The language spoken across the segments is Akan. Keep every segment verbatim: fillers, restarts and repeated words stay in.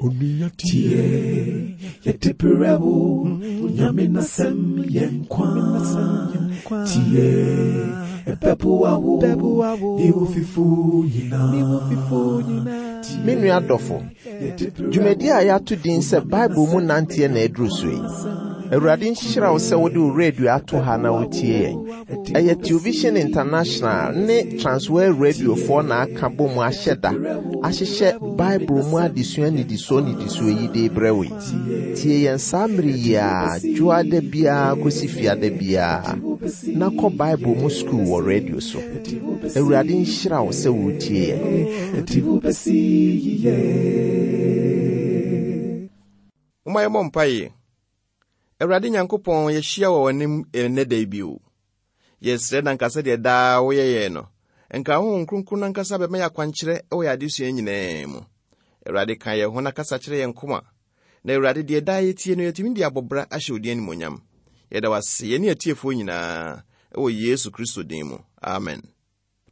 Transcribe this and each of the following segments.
Tie, yɛde brɛ wo, Nyame n'asɛm yɛ nkwa. Tie, ɛbɛboa wo, ne wo fifo nyinaa. Me nua dɔfo, dwumadi a yɛato din sɛ Bible mu nanteɛ na ɛduru so yi. Awurade nhyira wo sɛ wode wo radio ato ha na wotie yɛn. Ɛyɛ Television International ne Transworld Radiofoɔ na aka bɔ mu ahyɛ da ahyehyɛ Bible mu adesua nnidisoɔ nnidisoɔ yi de brɛ wo yi. Tie yɛn saa mmere yi a dwoada biara kɔsi fiada biara na kɔ Bible mu sukuu wɔ radio so. Awurade nhyira wo sɛ wotie yɛn. Ɛde wo bɛsi yiye. Momma yɛmmɔ mpaeɛ. Awurade Nyankopɔn, yɛhyia wɔ w'anim ɛnnɛ da yi bio. Yɛsrɛ na nka sɛdeɛ daa woyɛ yɛn no, nka Honhom Kronkron no ankasa bɛma yɛ akwankyerɛ wɔ yɛn adesua nyinaa mu. Awurade, ka yɛn ho na kasa kyerɛ yɛn koma. Na Awurade, deɛ daa yɛtie no, yɛtumi de abɔ bra ahyɛ wo din animuonyam. Yɛda wo ase, yɛne atiefoɔ nyinaa, ɛwɔ Yesu Kristo din mu. Amen.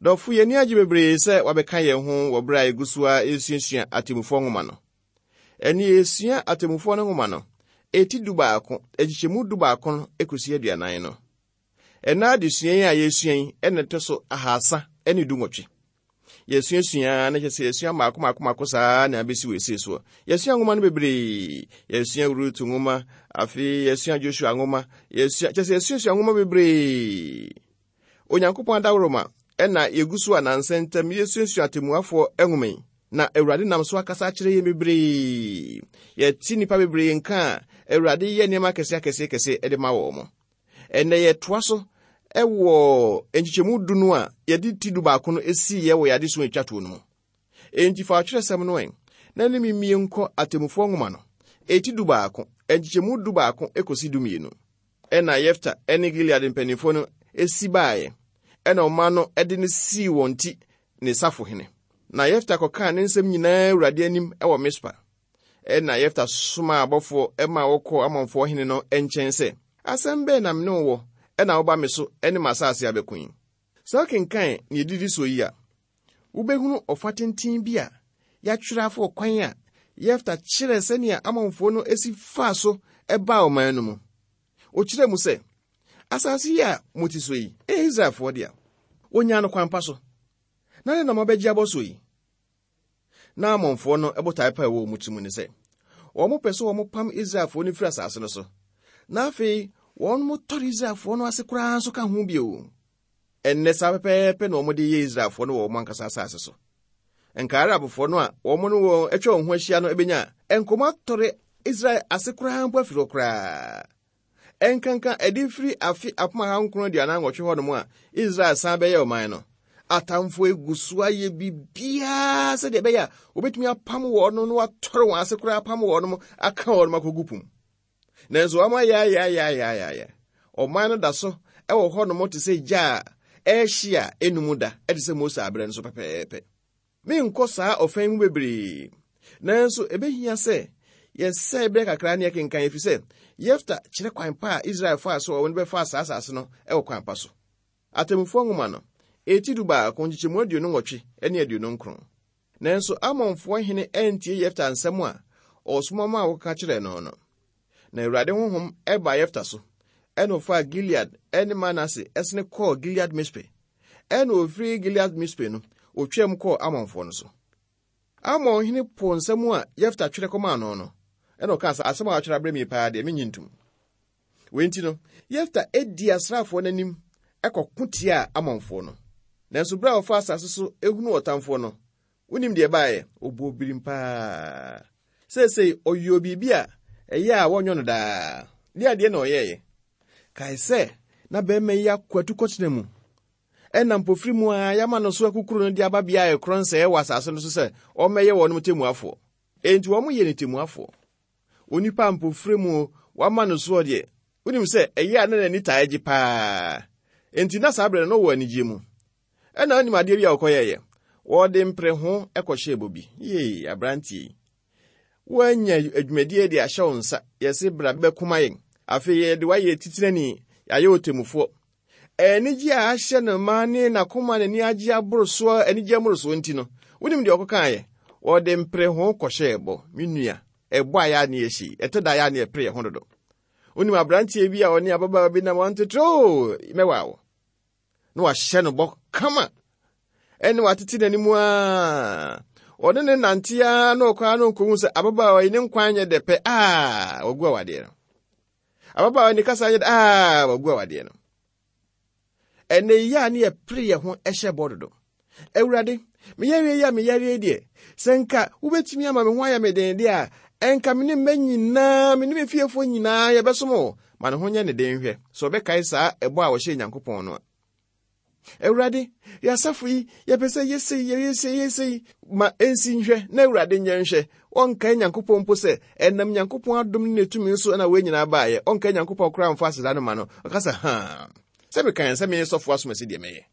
Dɔfo, yɛn ani agye bebree sɛ wabɛka yɛn ho wɔ berɛ a yɛgu so a yɛsuasua atemmufoɔ nwoma no. Ɛne yɛsua atemmufoɔ no nwoma no, ɛti du baako, akyikyɛmu du baako no ekosi aduanan no. Ɛna adesua yi a yɛsua yi, ɛna ɛtɔ so ahasa ne du nwɔtwe. Yɛsuasua na kyerɛ sɛ yɛsua mmaako mmaako mmaako saa na abɛsi wɔ esie soɔ. Yɛsua nwoma no bebree. Yɛsua Rut nwoma, afei yɛsua Joshua nwoma, yɛsua kyerɛ sɛ yɛsuasua nwoma bebree. Onyankopɔn adaworoma ɛna yɛgu so a nansa ntam yɛsuasua atemmuafoɔ nwoma yi. Na Awurade nam so akasa akyerɛ yɛn bebree. Yɛte nnipa bebree nka a Awurade yɛ nneɛma akɛseɛ akɛseɛ kɛseɛ de ma wɔn. Ɛnnɛ yɛtoa so ɛwɔ nkyekyɛmu du no a yɛde ti du baako no esiiɛ wɔ yɛn adesua etwa toɔ no mu. Enti fa ɔtwerɛsɛm no ɛ, na ne mimie nkɔ atemmufoɔ nwoma no. Eti du baako, nkyekyɛmu du baako ekosi du mmienu. Ɛna Yefta ɛne Gilead mpanimfoɔ no esi baeɛ. Ɛna ɔman no ɛde no sii wɔn ti ne safohene. Na Yefta kɔkaa ne nsɛm nyinaa Awurade anim ɛwɔ Mispa. Ɛna Yefta somaa abɔfoɔ ɛma wɔkɔɔ Amonfoɔ hene no nkyɛn sɛ, asɛm bɛn na me ne wo wɔ ɛna woba me so ɛne m'asase abɛko yi? Sɛ wokenkan nea edidi so yi a, wobɛhunu ɔfa tenten bi a yɛatwerɛ afa ɔkwan a Yefta kyerɛ sɛnea Amonfoɔ no esi faa so ɛbaa ɔman no mu. Ɔkyerɛ mu sɛ, asase yi a mote so yi, ɛyɛ Israelfoɔ dea. Wonyaa no kwan pa so. Na ne nam abɛgye abɔ so yi. Na Amonfoɔ no botae pa a ɛwɔ wɔn tirim ne sɛ, wɔn pɛ sɛ wɔn pam Israelfoɔ no firi asase no so. Na afei, wɔn mo tɔre Israelfoɔ no ase koraa nso ka ho bio. Ɛnnɛ saa pɛpɛɛpɛ na wɔn de yɛ Israelfoɔ no wɔ wɔn ankasa asase so. Nka Arabfoɔ no a wɔn ne wɔn atwa wɔn ho ahyia no bɛnya nkɔmɔ atɔre Israel ase koraa mpo afiri hɔ koraa. Ɛnkanka ɛde firi afe apem aha nkron aduanan nwɔtwe hɔnom a Israel san bɛyɛ ɔman no. Atamfo egu so ayɛ biribiara sɛdeɛ ɛbɛyɛ a wɔbɛtumi apam wɔn no na wɔatɔre wɔn ase koraa apam wɔn no aka wɔn akɔgu pum. Nanso wɔn ayɛ ayɛ ayɛ ayɛ ayɛ ayɛ. Ɔman no da so ɛwɔ hɔnom te sɛ gya a ɛrehye a enum da ɛte sɛ Mose abrɛ no so pɛpɛɛpɛ. Menkɔ saa ɔfɛn mu bebree. Nanso ebehia sɛ yɛsɛe berɛ kakra ne yɛkenkan ɛfiri sɛ Yefta kyerɛ kwan pa a Israel faa so a wɔn bɛfa saa asase no ɛwɔ kwan pa so. Atemmufoɔ nwoma no, eti du baako nkyekyɛmu aduonu nwɔtwe ne aduonu nkron. Nanso Amonfoɔ hene antie Yefta nsɛm a ɔsoma maa wɔkeka kyerɛɛ no no. Na Awurade honhom ɛbaa Yefta so, ɛna ɔfaa Gilead ɛne Manase ɛsene kɔɔ Gilead Mispe. Ɛna ofiri Gilead Mispe no, otwaam kɔɔ Amonfoɔ no so. Amon hene po nsɛm a Yefta twerɛ kɔmaa no no, ɛna ɔkaa sɛ asɛm a watwerɛ abrɛ mi paa deɛ menyi ntom. Wei nti no, Yefta edi asraafoɔ n'anim ɛkɔko tia Amonfoɔ no. Nanso bere a ɔfa asase so ehunu ɔtamfoɔ no, wonim deɛ ɛbaeɛ, ɔbɔ birim paa. Seesei ɔyɛ biribi a ɛyɛ a wɔnyɔ no daa. Deɛ adeɛ na ɔyɛeɛ. Kae sɛ na bɛrima yi akɔ atukɔtena mu. Ɛna mpofiri mu a yɛama no so akukuru no de aba bea a ɛkorɔ nsɛe wɔ asase no so sɛ ɔmmɛyɛ wɔn temmuafoɔ. Enti wɔn yɛ ne temmuafoɔ. Onipa mpofiri mu wama no soɔ deɛ, wonim sɛ ɛyɛ a na n'ani taa gye paa. Enti na saa berɛ no wɔ anigye mu. Ɛna wonim adeɛ bi a wɔkɔyɛeɛ. Wɔde mpere ho ɛkɔhyɛɛ bobi. Yee, aberanteɛ yi. Woanya adwumadie de ahyɛ wo nsa. Yɛse bra bɛkoma yɛn. Afei yɛde woayɛ titenani, yɛayɛ otemmufoɔ. Anigye a ahyɛ no ma ne n'akoma n'ani agye aboro soɔ, anigye mmoro soɔ nti no, wonim deɛ ɔkɔkaeɛ? Wɔde mpere ho kɔhyɛɛ bɔ. Me nua, ɛbɔ a yɛ a ne yɛhyɛ, ɛtɔ da yɛ a ne yɛpere yɛn ho dodo. Wonim aberanteɛ bi a ɔne ababaawa bi nam ɔntetere mɛwa wo. Na wahyɛ no bɔ kama. Ɛne watete n'anim a ɔne ne nante a na ɔkɔ ano nkohu sɛ ababaawa yi ne nkwan nyɛ dɛ pɛ a wagu awadeɛ no. Ababaawa yi ne kasa nyɛ dɛ a wagu awadeɛ no. Ɛnɛ yi a ne yɛpere yɛn ho hyɛ bɔ dodo. Awurade, meyɛreɛ yi a meyɛreɛ deɛ, sɛ nka wobɛtumi ama me ho ayɛ me den deɛ a, ɛnka me ne mma nyinaa, me ne me fiefoɔ nyinaa yɛbɛsom wo. Ma ne ho nyɛ ne den hwɛ, sɛ ɔbɛkae saa ɛbɔ a wɔhyɛɛ Nyankopɔn no a. Awurade, yɛasafo yi, yɛpɛ sɛ yɛsei, yɛyɛsei, yɛsei, ma ɛnsi nhwɛ, na Awurade nyɛ nhwɛ. Ɔnkae Nyankopɔn mpo sɛ, ɛnam Nyankopɔn adom ne ne tumi so na wei nyinaa baeɛ. Ɔnkae Nyankopɔn koraa mfa aseda no ma no. Ɔka sɛ, haa, sɛ mekae sɛ meyɛ sɔfo asom asi deɛ mɛyɛ.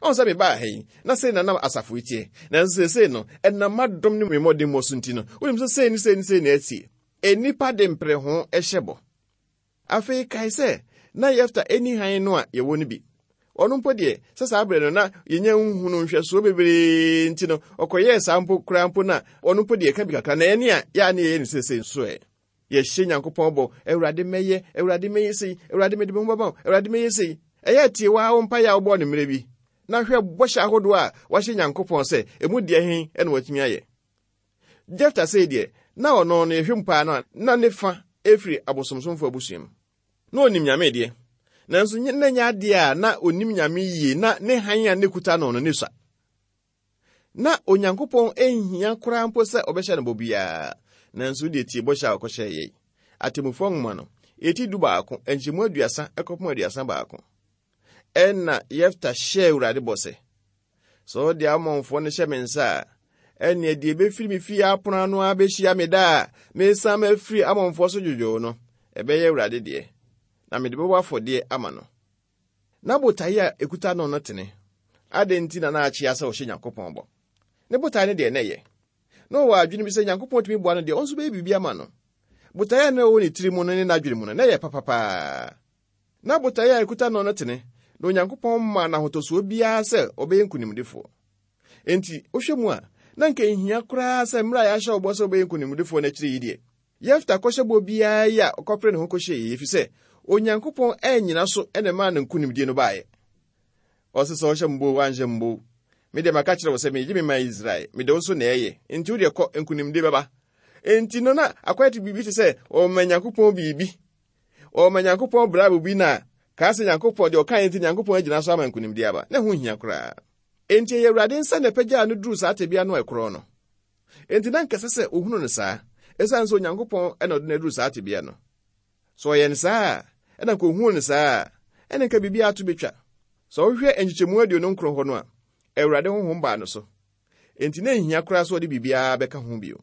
Ɔn sɛ mebaa ha yi, na sei na nam asafo yi teɛ. Nanso seesei no, ɛnam m'adom ne me mmɔdemmɔ so nti no, wonim sɛ sei ne sei ne sei na ɛtie. Nnipa de mpere ho hyɛ bɔ. Afei kae sɛ, na Yefta ani hann no a yɛwɔ no bi. Ɔno mpo deɛ, sɛ saa berɛ no na yɛnya nhunu nhwɛsoɔ bebree nti no, ɔkɔyɛɛ saa mpo koraa mpo na ɔno mpo deɛ ka bi kakra na ɛne a yɛa ne yɛyɛ no seesei nso ɛ. Yɛhyɛ Nyankopɔn bɔ, Awurade mɛyɛ, Awurade mɛyɛ sei, Awurade mede me ho bɛma wo, Awurade mɛyɛ sei. Ɛyɛ tie waa wo mpaeɛ a wobɔɔ no mmerɛ bi. Na hwɛ bɔhyɛ ahodoɔ a wahyɛ Nyankopɔn sɛ emu deɛ he na watumi ayɛ. Jefta sei deɛ, na ɔno no yɛhwɛ mu paa no a, na ne fa efiri abosomsomfo abusua mu. Na onim Nyame deɛ, nanso na nyɛ adeɛ a na onim Nyame yie na ne hann a ne kuta no no ne sua. Na Onyankopɔn nhia koraa mpo sɛ ɔbɛhyɛ no bɔ biara, nanso deɛ tie bɔhyɛ a ɔkɔhyɛɛ yɛn. Atemmufoɔ nwoma no, eti du baako, nkyɛmu aduasa ɛkɔpem aduasa baako. Ɛna Yefta hyɛɛ Awurade bɔ sɛ, sɛ ɔde Amonfoɔ no hyɛ me nsa a, ɛnneɛ deɛ ɛbɛfiri me fie apono ano abɛhyia me da a mesan mafiri Amonfoɔ so dwodwoo no, ɛbɛyɛ Awurade deɛ, na mede bɛbɔ afɔdeɛ ama no. Na botaeɛ a ɛkuta no no tene. Adɛn nti na na akyea sɛ ɔhyɛ Nyankopɔn bɔ? Ne botae no deɛ na ɛyɛ. Na ɔwɔ adwene bi sɛ Nyankopɔn tumi boa no deɛ, ɔno nso bɛyɛ biribi ama no. Botaeɛ a na ɛwɔ ne tiri mu no ne n'adwene mu no, na ɛyɛ papapaa. Na botaeɛ a ɛkuta no no tene, na Onyankopɔn maa no ahotɔsoɔ biara sɛ ɔbɛyɛ nkonimdifoɔ. Enti, wohwɛ mu a, na nka nhia koraa sɛ mmerɛ a yɛahyɛ wo bɔ sɛ wobɛyɛ nkonimdifoɔ no akyiri yi deɛ, Yefta kɔhyɛ bɔ biara yi a ɔkɔpere ne ho kɔhyɛ yi, ɛfiri sɛ Onyankopɔn annyina so na ɛmaa no nkonimdie no baeɛ. Ɔse sɛ ɔhyɛ mbo, wanhyɛ mbo. Me deɛ maka kyerɛ wo sɛ megye me man Israel, mede wo so na ɛyɛ. Enti wo deɛ kɔ, nkonimdie bɛba. Enti no na akɔyɛ te biribi te sɛ ɔma Nyankopɔn biribi. Ɔma Nyankopɔn brabo bi na kaa sɛ Nyankopɔn deɛ ɔkaeɛ nti Nyankopɔn agyina so ama nkonimdie aba. Na ɛho nhia koraa. Enti ɛyɛ Awurade nsa na ɛpɛgyaa no duruu saa tebea no a ɛkorɔn no. Enti na nkɛsɛ sɛ ohunu no saa, ɛsiane sɛ Onyankopɔn na ɔde no aduru saa tebea no. Sɛ ɔyɛ no saa a, ɛna nka ohuu no saa a, ɛna nka biribi ato betwa. Sɛ wohwɛ nkyekyɛmu aduonu nkron hɔ no a, Awurade honhom baa no so. Enti na nhia koraa sɛ ɔde biribiara bɛka ho bio.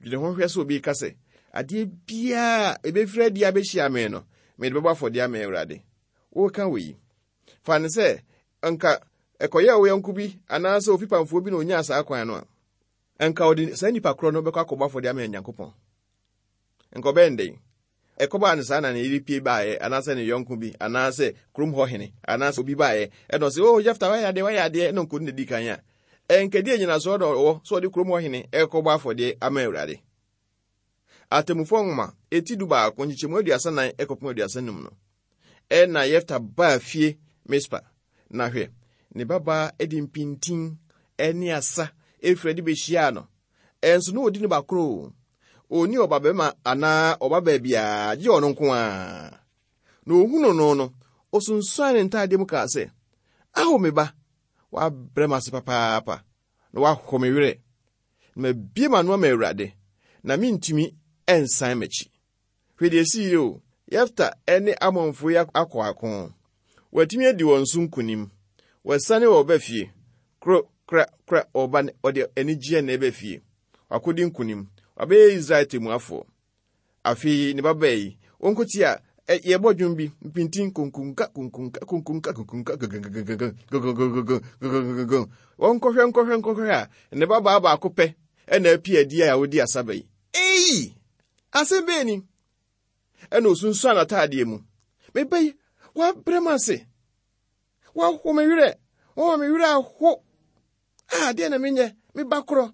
Dwene ho hwɛ sɛ obi ka sɛ, adeɛ biara a ɛbɛfiri adi abɛhyia me no, mede bɛbɔ afɔdeɛ ama Awurade. Woka wɔ yi. Fa no sɛ, nka ɛkɔyɛɛ wo yɔnko bi anaasɛ ofipamfoɔ bi na onyaa saa kwan no a, nka ɔde saa nipa korɔ no bɛkɔ akɔbɔ afɔdeɛ ama Nyankopɔn. Nka ɔbɛyɛ no dɛn? Ɛkɔbaa no saa na ne yere pie baeɛ, anaasɛ ne yɔnko bi, anaasɛ kurom hɔ hene, anaasɛ obi baeɛ, ɛna ɔsɛ, oh, Jefta, wayɛ adeɛ, wayɛ adeɛ, ɛna nkɔdu na di kan a, ɛnkɛdeɛ nyinasoɔ na ɔwɔ sɛ ɔde kurom hɔ hene ɛkɔbɔ afɔdeɛ ama Awurade. Atemmufoɔ nwoma, eti du baako, nkyekyɛmu aduasa nan ɛkɔpem aduasa num no, ɛna Yefta baa fie Mispa, na hwɛ, ne babaa de mpintin ɛne asa efiri adi behyiaa no. Ɛnso na odi ne ba koro. Onni ɔbabarima anaa ɔbabaa biara, gye ɔno nko ara. Na ohunu no no, osunsuan ne ntaadeɛ mu kaa sɛ, Ao me ba, wabrɛ m'ase papaapa, na wahɔ me werɛ. Na mabue m'ano ama Awurade, na mentumi nsan m'akyi. Hwɛ deɛ esii yi o, Yefta ne Amonfoɔ yi akɔ ako. Watumi adi wɔn so nkonim. Wɔasiane wɔ ɔba fie. Koro, kora, kora, ɔba ɔde anigyeɛ na ɛba fie. Wakɔdi nkonim. Wabɛyɛ Israel temmuafoɔ. Afei ne babaa yi, wɔnkɔtie a, yɛbɔ dwom bi, mpintin konkonka, konkonka, konkonka, konkonka, gagagagagagagagagagagagagagag. Wɔnkɔhwɛ, nkɔhwɛ, nkɔhwɛ a, ne babaa baako pɛ ɛna apie adi a ɔdi asaba yi. Ei! Asɛm bɛn ni? Ɛna osunsuan n'ataadeɛ mu. Meba yi, wabrɛ m ase. Waho me werɛ. Wama me werɛ aho. Ah, deɛ na menyɛ? Me ba korɔ.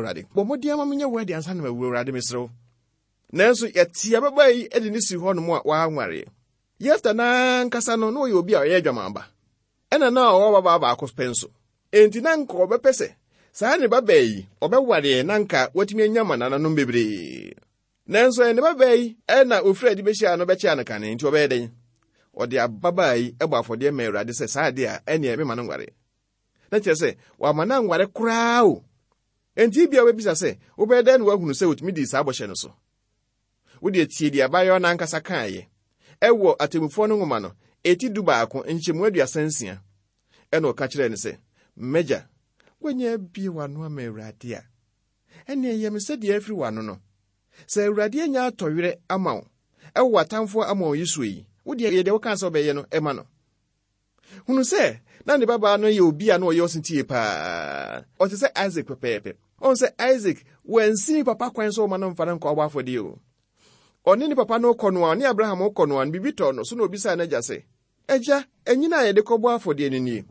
Awurade, bɔ mmɔden ama menyɛ wɛde ansa na mawu. Awurade, mesrɛ wo. Nanso yɛte ababaa yi de ne si hɔnom a wanwareɛ. Yefta n'ankasa no, na ɔyɛ obi a ɔyɛ adwamanba, ɛna na ɔwɔ babaa baako pɛ nso. Enti na nka ɔbɛpɛ sɛ saa ne babaa yi ɔbɛwareɛ na nka watumi anya ma nananom bebree. Nanso ɛyɛ ne babaa yi ɛna ofiri adi bɛhyia no bɛkyea no kane, nti ɔbɛyɛ dɛn? Ɔde ababaa yi bɔ afɔdeɛ ma Awurade sɛ saa adeɛ a ɛneɛ mema no nware. Na kyerɛ sɛ wama no anware koraa o. Enti bia wobɛbisa sɛ wobɛyɛ dɛn na woahunu sɛ otumi dii saa bɔhyɛ no so? Wode tie deɛ abayewa no ankasa kaeɛ ɛwɔ atemmufoɔ no nwoma no eti du baako nkyɛmu aduasa nsia. Ɛna ɔka kyerɛɛ no sɛ, "M'agya, woanya abie w'ano ama Awurade a, ɛnneɛ yɛ me sɛdeɛ afiri w'ano no. Sɛ Awurade anya atɔwerɛ ama wo ɛwɔ w'atamfoɔ ama wo yi so yi, wo deɛ yɛ deɛ wokaa sɛ wobɛyɛ no ɛma no." Hunu sɛ na ne babaa no yɛ obi a na ɔyɛ ɔsetie paa. Ɔte sɛ Isaac pɛpɛɛpɛ. Ɔhu sɛ Isaac wansi ne papa kwan sɛ ɔma no mfa no nkɔ ɔbɔ afɔdeɛ o. Ɔne ne papa no kɔ no a, ɔne Abraham kɔ no a, no biribi tɔɔ no so na obisaa n'agya sɛ, Agya, ɛnyina a yɛde kɔbɔ afɔdeɛ no nie?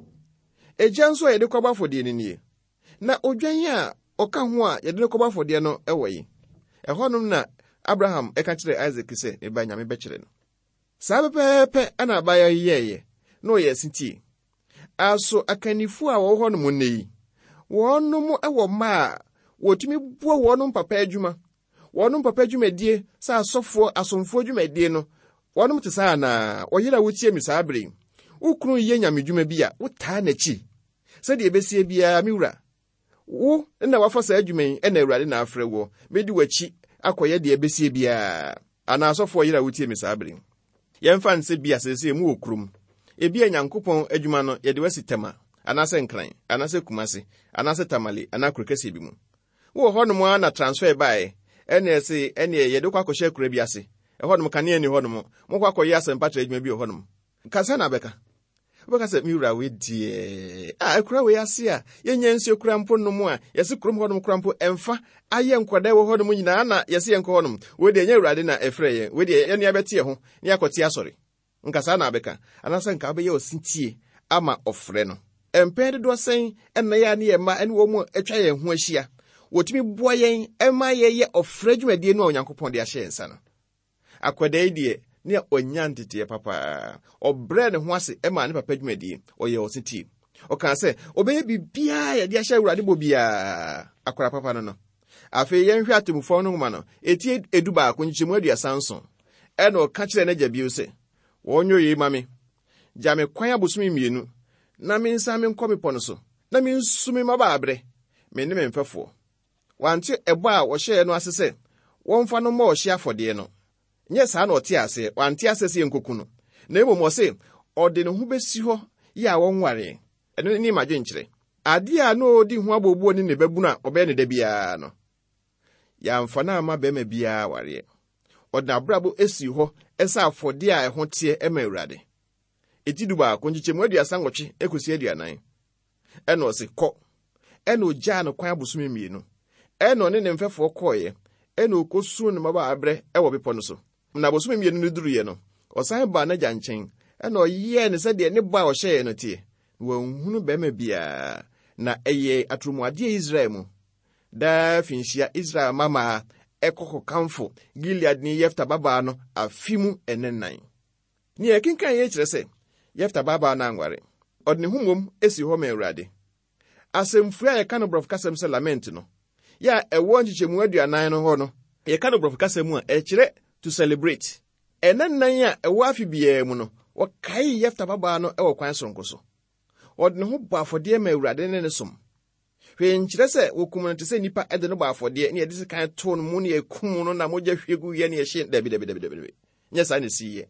Agya nso a yɛde kɔbɔ afɔdeɛ no nie? Na odwan a ɔka ho a yɛde no kɔbɔ afɔdeɛ no ɛwɔ yi? Ɛhɔnom na Abraham ɛka kyerɛɛ Isaac sɛ, ne ba Nyame bɛkyerɛ no. Saa pɛpɛɛpɛ ɛna abaayewa yi yɛeɛ, na ɔyɛ asetie. Aso akannifoɔ a wɔwɔ hɔnom nnɛ yi, wɔnom wɔ mma a wɔtumi boa wɔnom papa adwuma, wɔnom papa dwumadie sɛ asɔfoɔ, asomfoɔ dwumadie no, wɔnom te saa anaa? Ɔyere a wotie me saa bere yi, wo kunu yɛ nyame dwuma bi a, wotaa n'akyi. Sɛdeɛ ɛbɛsie biara, me wura, wo na wafa saa adwuma yi, ɛna Awurade na afrɛ woɔ. Mɛdi w'akyi akɔyɛ deɛ ɛbɛsie biara. Anaa asɔfoɔ yere a wotie me saa bere yi, yɛmfa nsɛ bi a seesei mu wɔ kurom. Ebi a Nyankopɔn adwuma no yɛde wasi Tema, anaasɛ Nkran, anaasɛ Kumase, anaasɛ Tamale, anaa kuro kɛseɛ bi mu. Wowɔ hɔnom ara na transfer baeɛ, ɛne ɛse ɛne yɛde kɔ akɔhyɛ akura bi ase. Ɛhɔnom kanea ni hɔnom. Mokɔ akɔyɛ asɛmpatrɛ adwuma bi wɔ hɔnom. Kasa na bɛka. Wobɛka sɛ, me wura wei deɛ, a akura wei ase a yɛnya nsuo kura mpo nom a yɛse kurom hɔnom kura mpo ɛmfa ayɛ nkwadaa wɔ hɔnom nyinaa na yɛse yɛnkɔ hɔnom. Wei deɛ ɛnyɛ Awurade na ɛfrɛ yɛn. Wei deɛ yɛne abɛte yɛn ho ne yɛakɔte asɔre. Nka saa na abɛka. Anaasɛ nka wobɛyɛ ɔsetie ama ɔfrɛ no. Mpɛn dodoɔ sɛn ɛna yɛ a ne yɛn mma ne wɔn mu atwa yɛn ho ahyia. Wɔtumi boa yɛn ɛma yɛyɛ ɔfrɛ dwumadie no a Onyankopɔn de ahyɛ yɛn nsa no. Akwadaa yi deɛ, ne ɔnya nteteɛ papaa. Ɔbrɛ ne ho ase ɛma ne papa dwumadie. Ɔyɛ ɔsetie. Ɔkaa sɛ, ɔbɛyɛ biribiara yɛde ahyɛ Awurade bɔ biara. Akwadaa papa no no. Afei yɛnhwɛ atemmufoɔ no nwoma no, eti edu baako nkyekyɛmu aduasa nson. Ɛna ɔka kyerɛɛ n'agya bio sɛ, wɔnyɛ yei ma me. Gya me kwan abosome mmienu, na mensan menkɔ bepɔ no so, na mensu me mmabaaberɛ, me ne me mfɛfoɔ. Wante ɛbɔ a wɔhyɛɛ no ase sɛ wɔmfa no mmɔ ɔhye afɔdeɛ no. Nyɛ saa na ɔte aseɛ, wante aseɛ sɛ yɛnkoku no. Na mmom ɔse, ɔde ne ho bɛsi hɔ yɛ a wɔnwaree. Ɛno ne m'adwenkyerɛ. Adeɛ a na ɔdi ho abooboo ne ne babunu a ɔbɛyɛ ne da biara no, yɛamfa no amma bɛrima biara awareɛ. Ɔde n'abrabɔ esi hɔ ɛsɛ afɔdeɛ a ɛho teɛ ɛma Awurade. Eti du baako nkyekyɛmu aduasa nwɔtwe ekosi aduanan. Ɛna ɔse kɔ. Ɛna ogyaa no kwan abosome mmienu. Ɛna ɔne ne mfɛfoɔ kɔɔeɛ. Ɛna ɔkɔsuu ne mmabaaberɛ ɛwɔ bepɔ no so. Na abosome mmienu no duruiɛ no, ɔsan baa n'agya nkyɛn. Ɛna ɔyɛɛ no sɛdeɛ ne bɔ a ɔhyɛeɛ no teɛ. Na wanhunu bɛrima biara. Na ɛyɛ atorɔmuadeɛ Israel mu. Daa finhyia Israel mmammaa ɛkɔ kɔkamfo Gileadni Yefta babaa no afe mu ɛnɛnan. Nea ɛkenkan yɛ kyerɛ sɛ Yefta babaa no anware. Ɔde ne ho mmom esi hɔ ma Awurade. Asɛmfua a yɛka no borɔfo kasɛm sɛ lament no, yɛ a ɛwɔ nkyekyɛmu aduanan no hɔ no, yɛka no borɔfo kasɛm mu a ɛkyerɛ to celebrate. Ɛnɛnan a ɛwɔ afe biara mu no, wɔkae Yefta babaa no wɔ kwan soronko so. Ɔde ne ho bɔ afɔdeɛ ma Awurade ne ne som. Hwee nkyerɛ sɛ wɔkum no te sɛ nnipa de no bɔ afɔdeɛ ne yɛde sekan too no mu ne yɛkum no na mogya hwie gu yɛ ne yɛhye. Dabi, dabi, dabi, dabi. Nyɛ saa na ɛsiiɛ.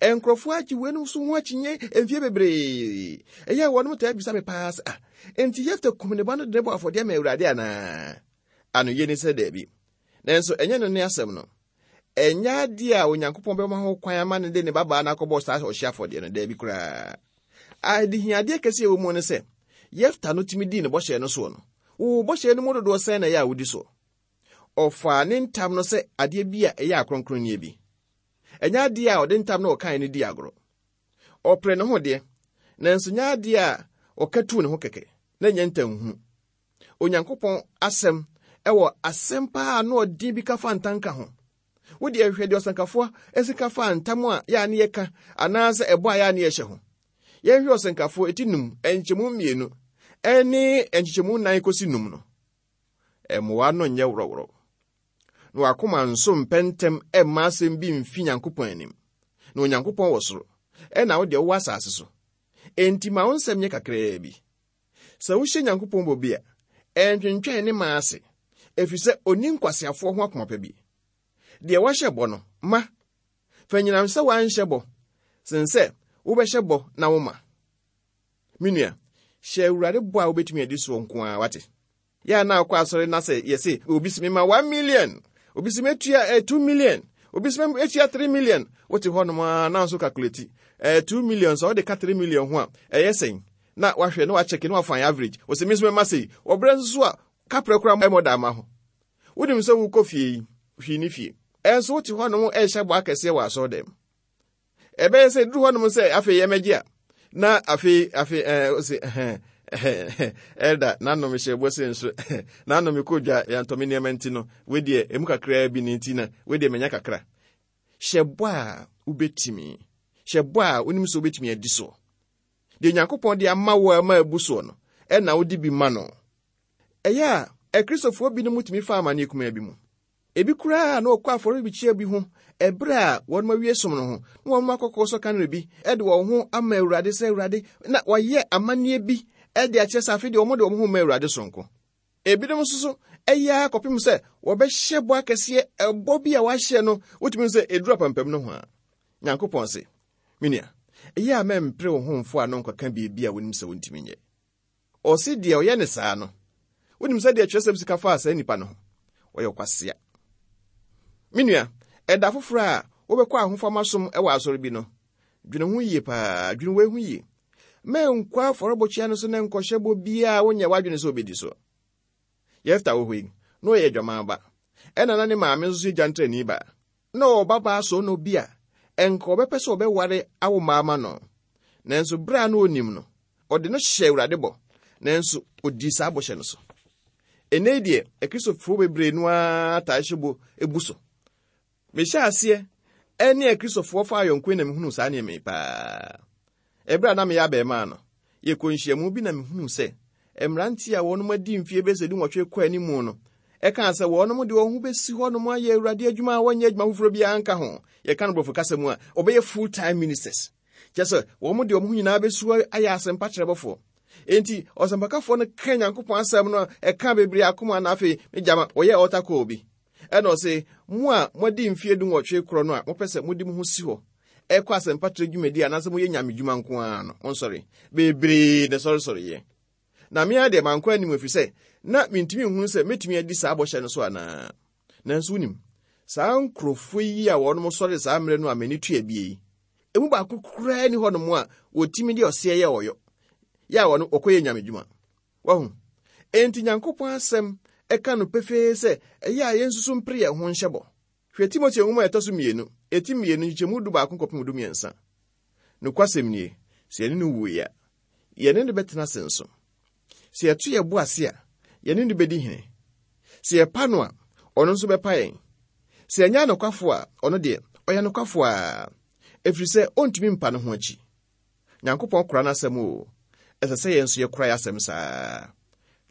Nkurɔfoɔ agye weinom so ho akyinnye mfie bebree. Ɛyɛ a wɔnom taa bisa me paa sɛ, ah, enti Yefta kum ne ba no de ne bɔ afɔdeɛ ma Awurade anaa? Ano yie ne sɛ daabi. Nanso ɛnyɛ no ne asɛm no. Ɛnyɛ adeɛ a Onyankopɔn bɛma ho kwan ama no de ne babaa no akɔbɔ saa ɔhye afɔdeɛ no, daabi koraa. Adehiadeɛ kɛseɛ ɛwɔ mu ne sɛ, Yefta no tumi dii ne bɔhyɛ no soɔ no, wo bɔhyɛ no mu dodoɔ sɛn na ɛyɛ a wodi soɔ? Ɔfaa ne ntam no sɛ adeɛ bi a ɛyɛ akronkronneɛ bi. Ɛnyɛ adeɛ a ɔde ntam no ɔkae no di agorɔ. Ɔpere ne ho deɛ, nanso nyɛ adeɛ a ɔka tuu ne ho kɛkɛ, na nyɛ ntamhunu. Onyankopɔn asɛm ɛwɔ asɛm paa na ɔden bi ka fa ntanka ho. Wo deɛ hwɛ deɛ ɔsɛnkafoɔ esi ka fa ntam a yɛ a ne yɛka anaasɛ ɛbɔ a yɛ a ne yɛhyɛ ho. Yɛnhwɛ ɔsɛnkafoɔ eti num, nkyɛmu mmienu, ɛne nkyekyɛmu nan kɔsi num no. Mmoa no nyɛ worɔworɔ. Na wakoma nso mpɛntɛm ɛmma asɛm bi mfi Nyankopɔn anim. Na Onyankopɔn wɔ soro, ɛna wo deɛ wowɔ asase so. Enti ma wo nsɛm nyɛ kakraa bi. Sɛ wohyɛ Nyankopɔn bɔ bi a, ɛntwentwɛn ne ma ase, ɛfiri sɛ onni nkwaseafoɔ ho akoma pa bi. Deɛ wahyɛ bɔ no, ma. Fa nyinam sɛ woanhyɛ bɔ, sen sɛ wobɛhyɛ bɔ na woma. Me nua, hyɛ Awurade bɔ a wobɛtumi adi soɔ nko ara, wate? Yɛ a na akɔ asɔre na sɛ yɛse obi si mema one million, obi si metua eh, two million, Obi sɛ etua three million, wote hɔnom a na nso calculate ɛɛ two million, sɛ ɔde ka three million ho a, ɛyɛ sɛn? Na wahwɛ na wakyɛke na wafa average. Wɔsɛ mi nso mɛma sei. Ɔbrɛ nso so a kaprɛ koraa ɛmɔ da ama ho. Wonim sɛ wokɔ fie yi, hwii ne fie. Ɛnso wote hɔnom ɛrehyɛ bɔ akɛseɛ wɔ asɔre dɛm. Ɛbɛyɛ sɛ duru hɔnom sɛ afei yɛmɛgye a, na afei afei ɛɛ ɔsɛ ɛhɛn ɛda n'anom hyɛ bɔ se nso n'anom kɔ dwa yɛntɔmi nneɛma nti no, wedeɛ emu kakraa bi ne nti na wedeɛ menya kakra. Hyɛ bɔ a wobɛtumi, hyɛ bɔ a wonim sɛ wobɛtumi adi soɔ. Deɛ Nyankopɔn de ama wo a ma abu soɔ no, ɛna wode bi ma no. Ɛyɛ a Akristofoɔ binom tumi fa amanneɛ kumaa bi mu. Ebi koraa na wɔkɔ afɔrebukyia bi ho ɛberɛ a wɔn awie som no ho, na wɔn akɔkɔ sɔ kanere bi ɛde wɔn ho ama Awurade sɛ Awurade, na wɔayɛ amanneɛ bi ɛde akyerɛ sɛ afei deɛ wɔn de wɔn ho ma Awurade sonko. Ebinom nso so ɛyɛ akɔpem sɛ wɔbɛhyɛ bɔ akɛseɛ, ɛbɔ bi a wɔahyɛ no wotumi sɛ ɛduru apampam no ho a, Nyankopɔn se, me nua, ɛyɛ a mɛmpere wo ho mfo a no nkɔka biribi a wonim sɛ wontumi nyɛ. Ɔse deɛ ɔyɛ ne saa no, wonim sɛ deɛ kyerɛsɛm sika faa saa nnipa no ho, ɔyɛ ɔkwasea. Me nua, ɛda foforɔ a wobɛkɔ ahofama som ɛwɔ asɔre bi no, dwene ho yie paa, dwene wei ho yie. Mɛnkɔ afɔrebɔkyia no so na nkɔhyɛ bɔ biara wonyɛ w'adwene sɛ wobɛdi so. Yefta wɔ hɔ yi, na ɔyɛ adwaman ba. Ɛna na ne maame nso yɛ gyantrani ba. Na ɔwɔ babaa so no bi a, ɛnka ɔbɛpɛ sɛ ɔbɛware awo mmaa ma no. Nanso berɛ a na onim no, ɔde no hyɛ Awurade bɔ, nanso ɔdii saa bɔhyɛ no so. Ɛnnɛ yi deɛ, Akristofoɔ bebree no ara taa hyɛ bɔ ebu so. Mehyɛ aseɛ ɛne Akristofoɔ fa ayɔnkoe na mehunuu saa nneɛma yi paa. Ɛberɛ a na meyɛ abɛɛmaa no, yɛkɔ nhyiamu bi na mehunuu sɛ mmeranteɛ a wɔnom adi mfeɛ bɛsɛ dunwɔtwe kɔ animu no, ɛkaa sɛ wɔnom de wɔn ho bɛsi hɔnom ayɛ Awurade adwuma a wɔnyɛ adwuma foforɔ biara nka ho. Yɛka no borɔfo kasa mu a, wɔbɛyɛ full time ministers. Kyerɛ sɛ wɔn de wɔn ho nyinaa bɛsi hɔ ayɛ asɛmpa kyerɛbɔfoɔ. Enti ɔsɛmpakafoɔ no ka Nyankopɔn asɛm no a ɛka bebree akoma, na afei megyama wɔyɛ altar call bi. Ɛna ɔse, mo a moadi mfeɛ dunwɔtwe korɔ no a mopɛ sɛ mode mo ho si hɔ ɛkɔ asɛmpa kyerɛ dwumadi anaasɛ moyɛ nyame dwuma nko ara no, monsɔre. Bebree na sɔresɔreyɛ. Na me ara deɛ mankɔ anim ɛfiri sɛ na mentumi nhunu sɛ mɛtumi adi saa bɔhyɛ no so anaa. Nanso wonim, saa nkurɔfoɔ yi a wɔnom sɔre saa mmerɛ no a m'ani tua bie yi, emu baako koraa ni hɔnom a wɔtumi de ɔseɛ yɛ ɔyɔ, yɛ a wɔno wɔkɔyɛ nyame dwuma. Wahu? Enti Nyankopɔn asɛm ɛka no pefee sɛ ɛyɛ a yɛn nso mpere yɛn ho nhyɛ bɔ. Hwɛ Timoteo nwoma a ɛtɔ so mmienu, eti mmienu nkyekyɛmu du baako kɔpem du mmiɛnsa. Nokwasɛm nie, sɛ yɛne no wuiɛ a, yɛne no bɛtena ase nso. Sɛ yɛto yɛn bo ase a, yɛne no bɛdi hene. Sɛ yɛpa no a, ɔno nso bɛpa yɛn. Sɛ yɛnyɛ anokwafo a, ɔno deɛ, ɔyɛ nokwafo a, ɛfiri sɛ ɔntumi mpa ne ho akyi. Nyankopɔn kora n'asɛm o, ɛsɛ sɛ yɛn nso yɛkora yɛn asɛm saa.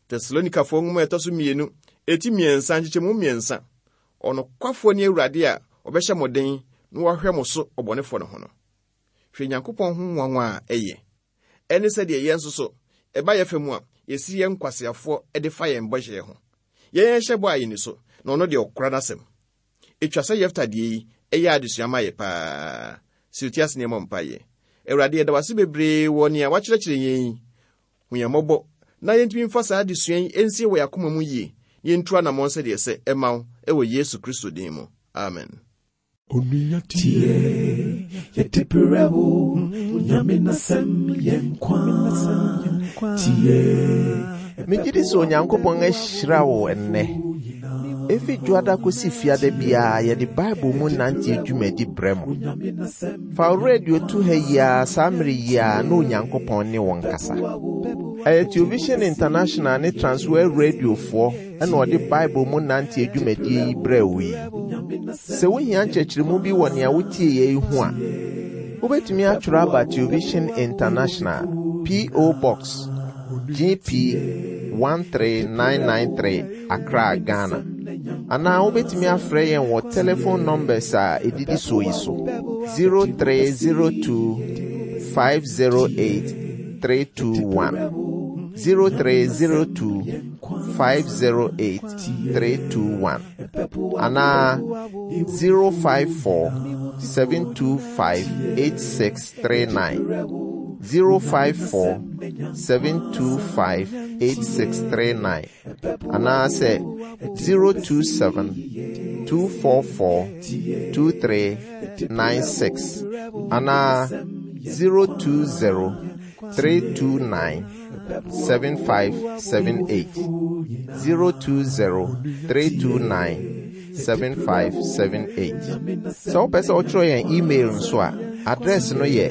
Tesalonikafoɔ nwoma a ɛtɔ so mmienu, eti mmiɛnsa nkyekyɛmu mmiɛnsa. Ɔnokwafoɔ ne Awurade a ɔbɛhyɛ mo den na wahwɛ mo so ɔbɔnefoɔ no ho no. Hwɛ Nyankopɔn ho nwanwa a ɛyɛ. Ɛne sɛdeɛ yɛn nso so, ɛba yɛ fɛ mu a, yɛsi yɛn nkwaseafoɔ de fa yɛn bɔhyɛ ho. Yɛn yɛhyɛ bɔ a yɛni so, na ɔno deɛ ɔkora n'asɛm. Etwa sɛ Yefta deɛ yi, ɛyɛ adesua ma yɛ paa. Sɛ oti ase nneɛma mpaeɛ. Awurade, yɛda wo ase bebree wɔ nea wakyerɛkyerɛ yɛn yi. Hu yɛn mmɔbɔ na yɛntumi mfa saa adesua yi nsie wɔ yɛn akoma mu yie, na yɛntu anammɔn sɛdeɛ ɛsɛ ɛma wo ɛwɔ Yesu Kristo din mu. Amen. Onua tie, yɛde brɛ wo, Onyame n'asɛm yɛ nkwa. Tie, Megye di sɛ Onyankopɔn ahyira wo ɛnnɛ. Efi dwoada kɔsi fiada biara yɛde Bible mu nante dwumadi brɛ mo. Fa wo radio to ha yi ara saa mmere yi ara na Onyankopɔn ne wo nkasa. Ɛyɛ Television International ne Transworld Radiofoɔ ɛna ɔde Bible mu nante dwumadie yi brɛ wo yi. Sɛ wohia nkyerɛkyerɛmu bi wɔ nea wotie yɛ yi ho a, wobɛtumi atwerɛ aba Television International, P O. Box G P one three nine nine three, Accra, Ghana. Anaa wobɛtumi afrɛ yɛn wɔ telephone numbers a ɛdidi so yi so: zero three zero two five zero eight three two one, zero three zero two five zero eight three two one, anaa zero five four seven two five eight six three nine, zero five four seven two five eight six three nine, anaasɛ zero two seven two four four two three nine six anaa zero two zero three two nine seven five seven eight zero two zero three two nine seven five seven eight. Sɛ wopɛ sɛ wotwerɛ yɛn email nso a, address no yɛ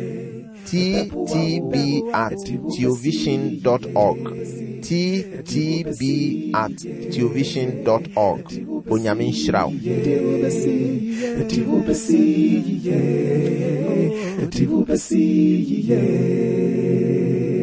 ttb at theovision dot org ttb at theovision dot org. Onyame nhyira wo. Yeah.